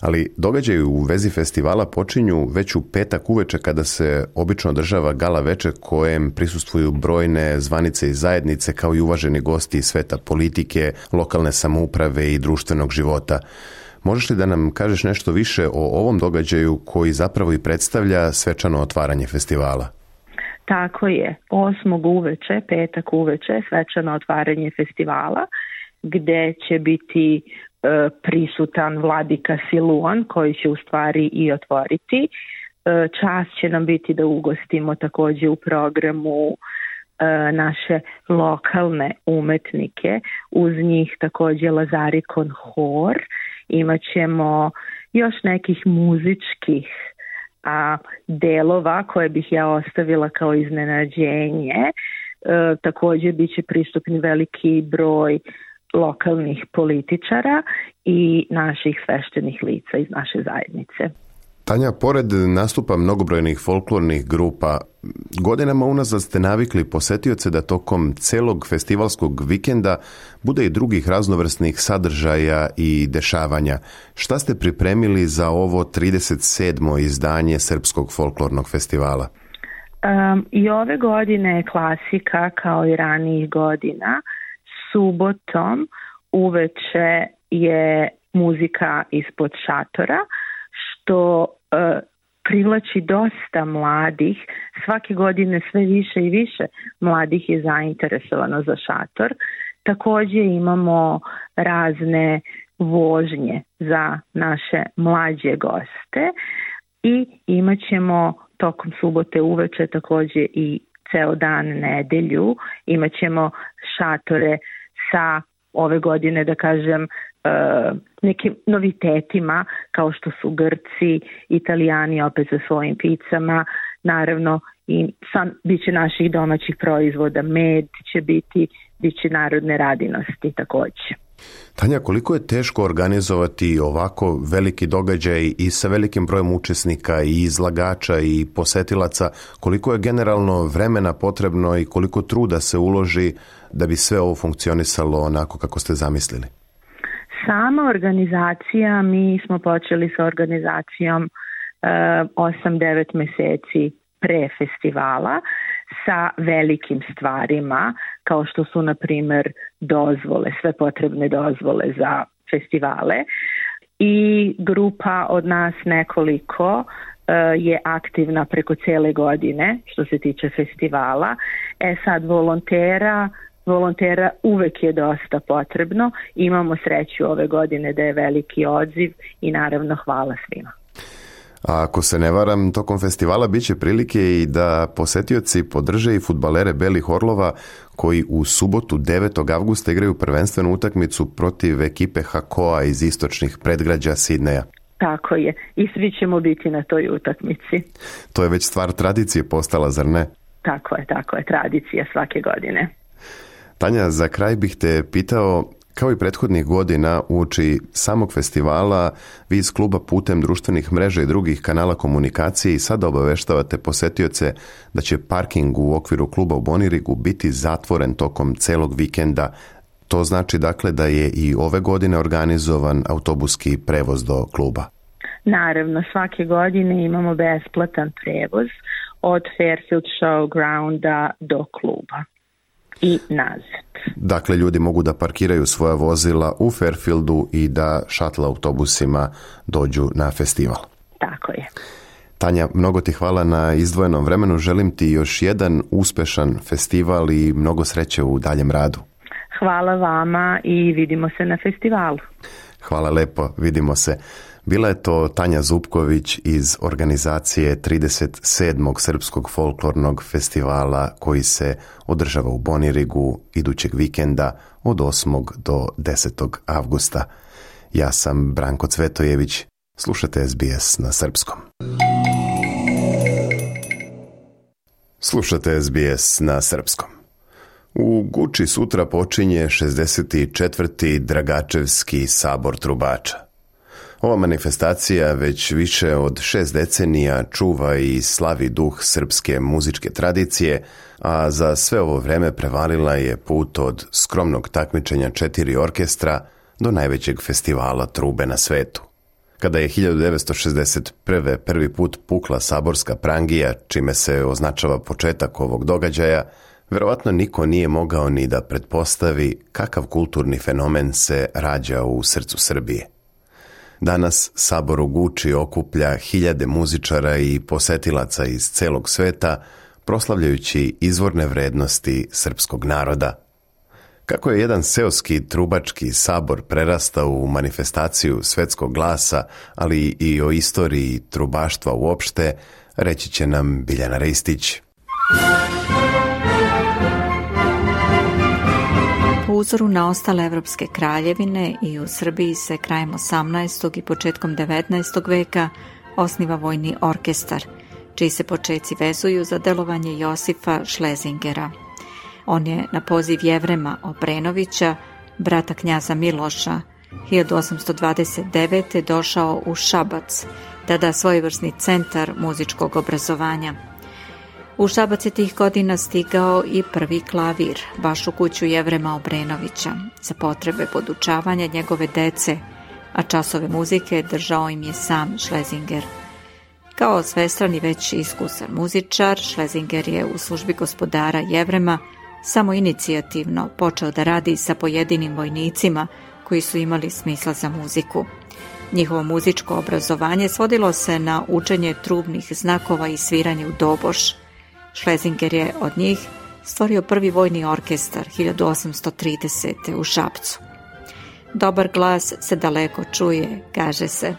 Ali događaji u vezi festivala počinju već u petak uveče kada se obično održava gala veče kojem prisustvuju brojne zvanice i zajednice kao i uvaženi gosti iz sveta politike, lokalne samouprave i društvenog života. Možeš li da nam kažeš nešto više o ovom događaju koji zapravo i predstavlja svečano otvaranje festivala? Tako je, osmog uveče, petak uveče, svečano otvaranje festivala, gde će biti e, prisutan vladika Siluan, koji će u stvari i otvoriti. E, čast će nam biti da ugostimo takođe u programu e, naše lokalne umetnike, uz njih takođe Lazarikon hor. Imaćemo još nekih muzičkih a, delova koje bih ja ostavila kao iznenađenje. E, takođe biće pristupni veliki broj lokalnih političara i naših sveštenih lica iz naše zajednice. Tanja, pored nastupa mnogobrojnih folklornih grupa, godinama unazad ste navikli posetioce da tokom celog festivalskog vikenda bude i drugih raznovrsnih sadržaja i dešavanja. Šta ste pripremili za ovo trideset sedmo izdanje Srpskog folklornog festivala? Um, I ove godine je klasika, kao i ranijih godina. Subotom uveče je muzika ispod šatora, što e, privlači dosta mladih. Svake godine sve više i više mladih je zainteresovano za šator. Takođe imamo razne vožnje za naše mlađe goste i imat ćemo tokom subote uveče takođe i ceo dan nedelju. Imat ćemo šatore sa ove godine, da kažem, nekim novitetima kao što su Grci, Italijani opet sa svojim picama, naravno i sam biće naših domaćih proizvoda, med će biti, biće narodne radinosti takođe. Tanja, koliko je teško organizovati ovako veliki događaj i sa velikim brojem učesnika i izlagača i posetilaca, koliko je generalno vremena potrebno i koliko truda se uloži da bi sve ovo funkcionisalo onako kako ste zamislili? Sama organizacija, mi smo počeli sa organizacijom osam devet meseci pre festivala sa velikim stvarima kao što su na primer dozvole, sve potrebne dozvole za festivale i grupa od nas nekoliko je aktivna preko cele godine što se tiče festivala. E sad volontera Volontera uvek je dosta potrebno. Imamo sreću ove godine da je veliki odziv i naravno hvala svima. A ako se ne varam, tokom festivala biće prilike i da posetioci podrže i fudbalere Belih Orlova koji u subotu devetog avgusta igraju prvenstvenu utakmicu protiv ekipe Hakoa iz istočnih predgrađa Sidneja. Tako je. I svi ćemo biti na toj utakmici. To je već stvar tradicije postala, zar ne? Tako je, tako je. Tradicija svake godine. Tanja, za kraj bih te pitao, kao i prethodnih godina uoči samog festivala, vi iz kluba putem društvenih mreža i drugih kanala komunikacije i sada obaveštavate posetioce da će parking u okviru kluba u Bonirigu biti zatvoren tokom celog vikenda. To znači dakle da je i ove godine organizovan autobuski prevoz do kluba. Naravno, svake godine imamo besplatan prevoz od Fairfield Showgrounda do kluba i nazad. Dakle, ljudi mogu da parkiraju svoja vozila u Fairfieldu i da šatl autobusima dođu na festival. Tako je. Tanja, mnogo ti hvala na izdvojenom vremenu. Želim ti još jedan uspešan festival i mnogo sreće u daljem radu. Hvala vama i vidimo se na festivalu. Hvala lepo, vidimo se. Bila je to Tanja Zupković iz organizacije trideset sedmog Srpskog folklornog festivala koji se održava u Bonirigu idućeg vikenda od osmog do desetog avgusta. Ja sam Branko Cvetojević. Slušate S B S na srpskom. Slušate S B S na srpskom. U Guči sutra počinje šezdeset četvrti Dragačevski sabor trubača. Ova manifestacija već više od šest decenija čuva i slavi duh srpske muzičke tradicije, a za sve ovo vreme prevalila je put od skromnog takmičenja četiri orkestra do najvećeg festivala trube na svetu. Kada je hiljadu devetsto šezdeset prve. prvi put pukla saborska prangija, čime se označava početak ovog događaja, verovatno niko nije mogao ni da pretpostavi kakav kulturni fenomen se rađa u srcu Srbije. Danas sabor u Guči okuplja hiljade muzičara i posetilaca iz celog sveta, proslavljajući izvorne vrednosti srpskog naroda. Kako je jedan seoski trubački sabor prerastao u manifestaciju svetskog glasa, ali i o istoriji trubaštva uopšte, reći će nam Biljana Ristić. Po uzoru na ostale evropske kraljevine i u Srbiji se krajem osamnaestog i početkom devetnaestog veka osniva vojni orkestar, čiji se počeci vezuju za delovanje Josifa Šlezingera. On je na poziv Jevrema Obrenovića, brata knjaza Miloša, hiljadu osamsto dvadeset devete. došao u Šabac, tada svojevrsni centar muzičkog obrazovanja. U Šabac je tih godina stigao i prvi klavir, baš u kuću Jevrema Obrenovića, za potrebe podučavanja njegove dece, a časove muzike držao im je sam Šlezinger. Kao svestran i već iskusan muzičar, Šlezinger je u službi gospodara Jevrema samo inicijativno počeo da radi sa pojedinim vojnicima koji su imali smisla za muziku. Njihovo muzičko obrazovanje svodilo se na učenje trubnih znakova i sviranje u doboš. Šlezinger je od njih stvorio prvi vojni orkestar hiljadu osamsto tridesete. u Šapcu. Dobar glas se daleko čuje, kaže se.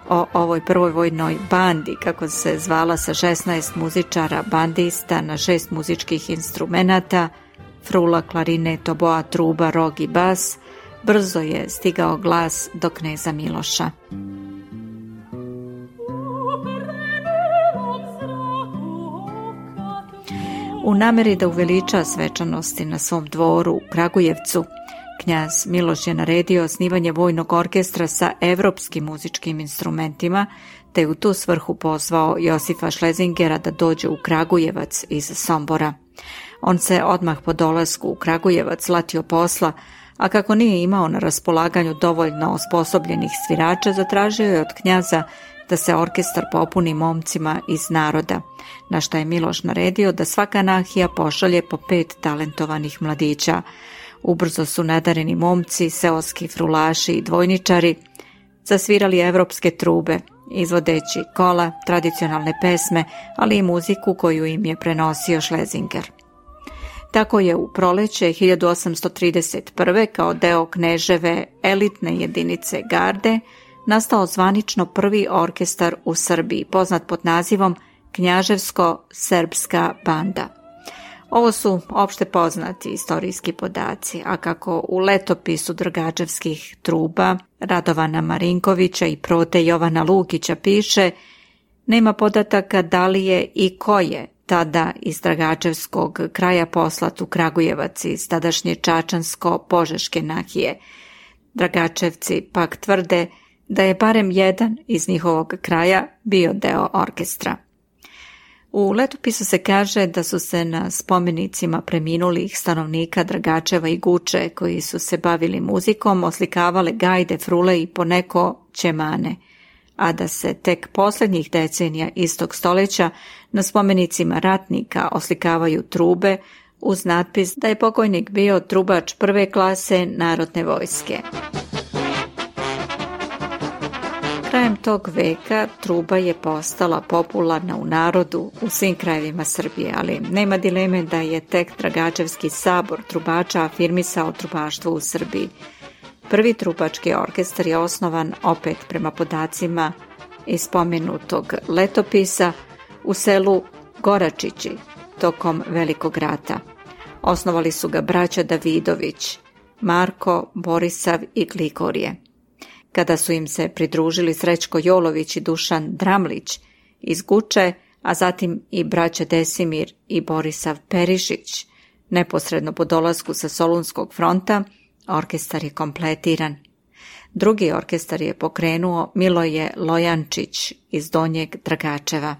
O ovoj prvoj vojnoj bandi, kako se zvala sa šesnaest muzičara bandista na šest muzičkih instrumenata, frula, klarinet, oboa, truba, rog i bas, brzo je stigao glas do kneza Miloša. U nameri da uveliča svečanosti na svom dvoru u Kragujevcu, knjaz Miloš je naredio osnivanje vojnog orkestra sa evropskim muzičkim instrumentima, te je u tu svrhu pozvao Josifa Šlezingera da dođe u Kragujevac iz Sombora. On se odmah po dolasku u Kragujevac latio posla, a kako nije imao na raspolaganju dovoljno osposobljenih svirača, zatražio je od knjaza da se orkestar popuni momcima iz naroda, na šta je Miloš naredio da svaka nahija pošalje po pet talentovanih mladića. Ubrzo su nadareni momci, seoski frulaši i dvojničari zasvirali evropske trube, izvodeći kola, tradicionalne pesme, ali i muziku koju im je prenosio Šlezinger. Tako je u proleće hiljadu osamsto trideset prve. kao deo kneževe elitne jedinice garde nastao zvanično prvi orkestar u Srbiji, poznat pod nazivom Knjaževsko-srpska banda. Ovo su opšte poznati istorijski podaci, a kako u letopisu Dragačevskih truba Radovana Marinkovića i Prote Jovana Lukića piše, nema podataka da li je i ko je tada iz Dragačevskog kraja poslat u Kragujevac iz tadašnje Čačansko-Požeške nahije. Dragačevci pak tvrde da je barem jedan iz njihovog kraja bio deo orkestra. U letopisu se kaže da su se na spomenicima preminulih stanovnika Dragačeva i Guče, koji su se bavili muzikom, oslikavale gajde, frule i poneko ćemane, a da se tek posljednjih decenija istog stoljeća na spomenicima ratnika oslikavaju trube uz natpis da je pokojnik bio trubač prve klase narodne vojske. Krajem tog veka truba je postala popularna u narodu u svim krajevima Srbije, ali nema dileme da je tek Dragačevski sabor trubača afirmisao trubaštvo u Srbiji. Prvi trubački orkestar je osnovan, opet prema podacima iz spomenutog letopisa, u selu Goračići tokom Velikog rata. Osnovali su ga braća Davidović, Marko, Borisav i Glikorije. Kada su im se pridružili Srećko Jolović i Dušan Dramlić iz Guče, a zatim i braća Desimir i Borisav Perišić, neposredno po dolasku sa Solunskog fronta, orkestar je kompletiran. Drugi orkestar je pokrenuo Miloje Lojančić iz Donjeg Dragačeva.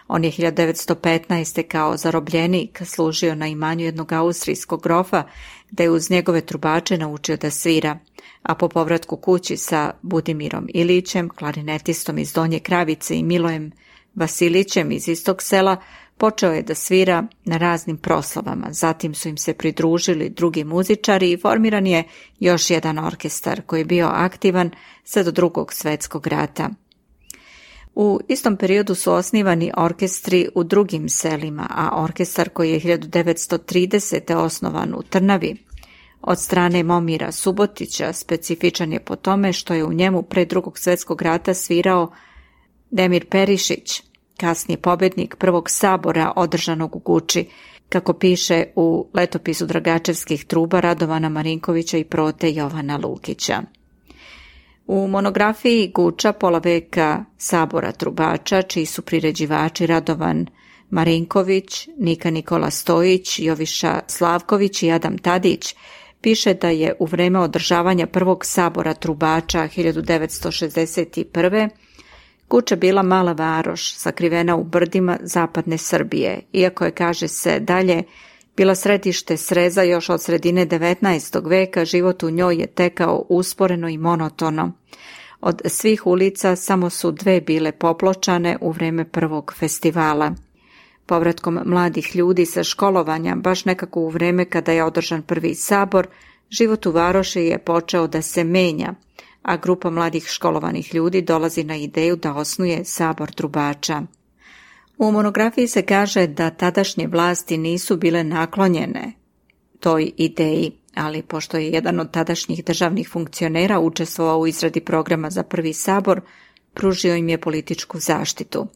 On je hiljadu devetsto petnaeste. kao zarobljenik služio na imanju jednog austrijskog grofa, gde je uz njegove trubače naučio da svira, a po povratku kući sa Budimirom Ilićem, klarinetistom iz Donje Kravice, i Milojem Vasilićem iz istog sela, počeo je da svira na raznim proslavama. Zatim su im se pridružili drugi muzičari i formiran je još jedan orkestar koji je bio aktivan sve do Drugog svjetskog rata. U istom periodu su osnivani orkestri u drugim selima, a orkestar koji je hiljadu devetsto tridesete. osnovan u Trnavi od strane Momira Subotića specifičan je po tome što je u njemu pre Drugog svjetskog rata svirao Demir Perišić, kasnije pobednik prvog sabora održanog u Guči, kako piše u letopisu Dragačevskih truba Radovana Marinkovića i Prote Jovana Lukića. U monografiji Guča pola veka sabora trubača, čiji su priređivači Radovan Marinković, Nika Nikola Stojić, Joviša Slavković i Adam Tadić, piše da je u vreme održavanja prvog sabora trubača hiljadu devetsto šezdeset prve. Guča bila mala varoš, sakrivena u brdima zapadne Srbije, iako je, kaže se dalje, bila središte sreza još od sredine devetnaestog veka, život u njoj je tekao usporeno i monotono. Od svih ulica samo su dve bile popločane u vreme prvog festivala. Povratkom mladih ljudi sa školovanja, baš nekako u vreme kada je održan prvi sabor, život u varoši je počeo da se menja, a grupa mladih školovanih ljudi dolazi na ideju da osnuje sabor trubača. U monografiji se kaže da tadašnje vlasti nisu bile naklonjene toj ideji, ali pošto je jedan od tadašnjih državnih funkcionera učestvovao u izradi programa za prvi sabor, pružio im je političku zaštitu.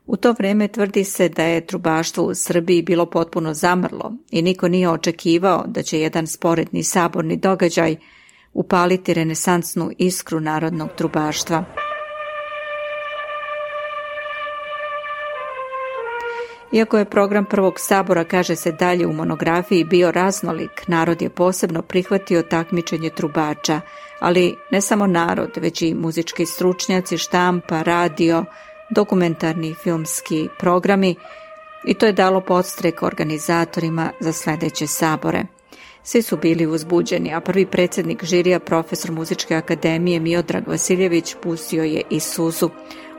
U to vrijeme tvrdi se da je trubaštvo u Srbiji bilo potpuno zamrlo i niko nije očekivao da će jedan sporedni saborni događaj upaliti renesansnu iskru narodnog trubaštva. Iako je program prvog sabora, kaže se dalje u monografiji, bio raznolik, narod je posebno prihvatio takmičenje trubača, ali ne samo narod, već i muzički stručnjaci, štampa, radio, dokumentarni filmski programi, i to je dalo podstrek organizatorima za sljedeće sabore. Svi su bili uzbuđeni, a prvi predsjednik žirija, profesor Muzičke akademije Miodrag Vasiljević, pustio je i suzu.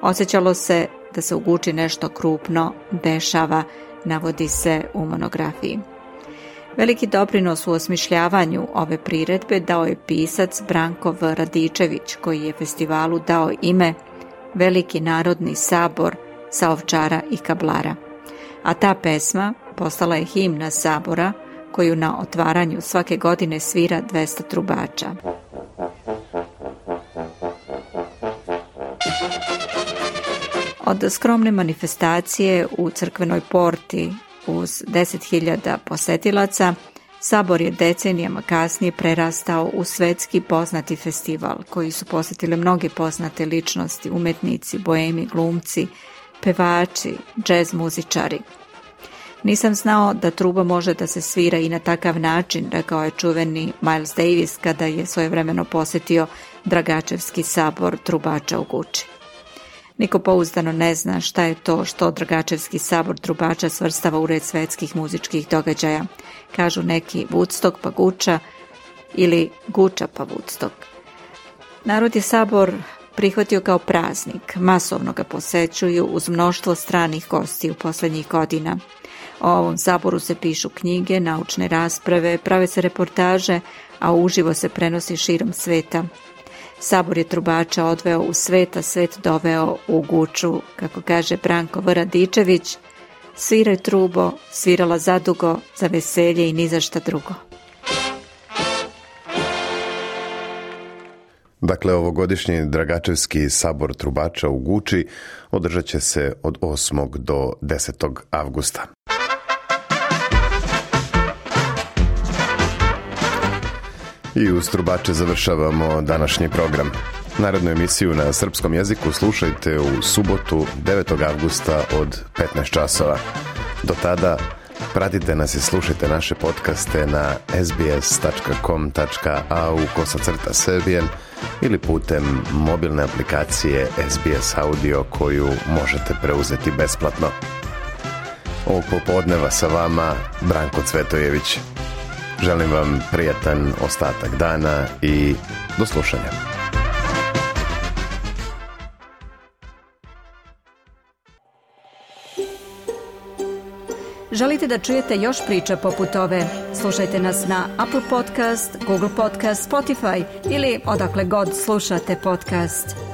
Osjećalo se da se u Guči nešto krupno dešava, navodi se u monografiji. Veliki doprinos u osmišljavanju ove priredbe dao je pisac Branko V. Radičević, koji je festivalu dao ime Veliki narodni sabor sa Ovčara i Kablara. A ta pesma postala je himna sabora, koju na otvaranju svake godine svira dvesta trubača. Od skromne manifestacije u crkvenoj porti uz deset hiljada posetilaca, sabor je decenijama kasnije prerastao u svetski poznati festival, koji su posjetile mnoge poznate ličnosti, umetnici, boemi, glumci, pevači, džez muzičari. Nisam znao da truba može da se svira i na takav način, rekao je čuveni Miles Davis kada je svojevremeno posjetio Dragačevski sabor trubača u Guči. Niko pouzdano ne zna šta je to što Dragačevski sabor trubača svrstava u red svetskih muzičkih događaja. Kažu neki Woodstock pa Guča ili Guča pa Woodstock. Narod je sabor prihvatio kao praznik, masovno ga posećuju uz mnoštvo stranih gostiju posljednjih godina. O ovom saboru se pišu knjige, naučne rasprave, prave se reportaže, a uživo se prenosi širom sveta. Sabor je trubača odveo u svet, a svet doveo u Guču, kako kaže Branko V. Radičević, sviraj trubo, svirala zadugo, za veselje i ni za šta drugo. Dakle, ovogodišnji Dragačevski sabor trubača u Guči održat će se od osmog do desetog avgusta. I uz trubače završavamo današnji program. Narednu emisiju na srpskom jeziku slušajte u subotu devetog avgusta od petnaest časova. Do tada pratite nas i slušajte naše podcaste na sbs tačka com tačka a u kosacrta serbian ili putem mobilne aplikacije S B S Audio koju možete preuzeti besplatno. Ovog popodneva sa vama Branko Cvetojević. Želim vam prijatan ostatak dana i do slušanja. Želite da čujete još priča poput ove? Slušajte nas na Apple Podcast, Google Podcast, Spotify ili odakle god slušate podcast.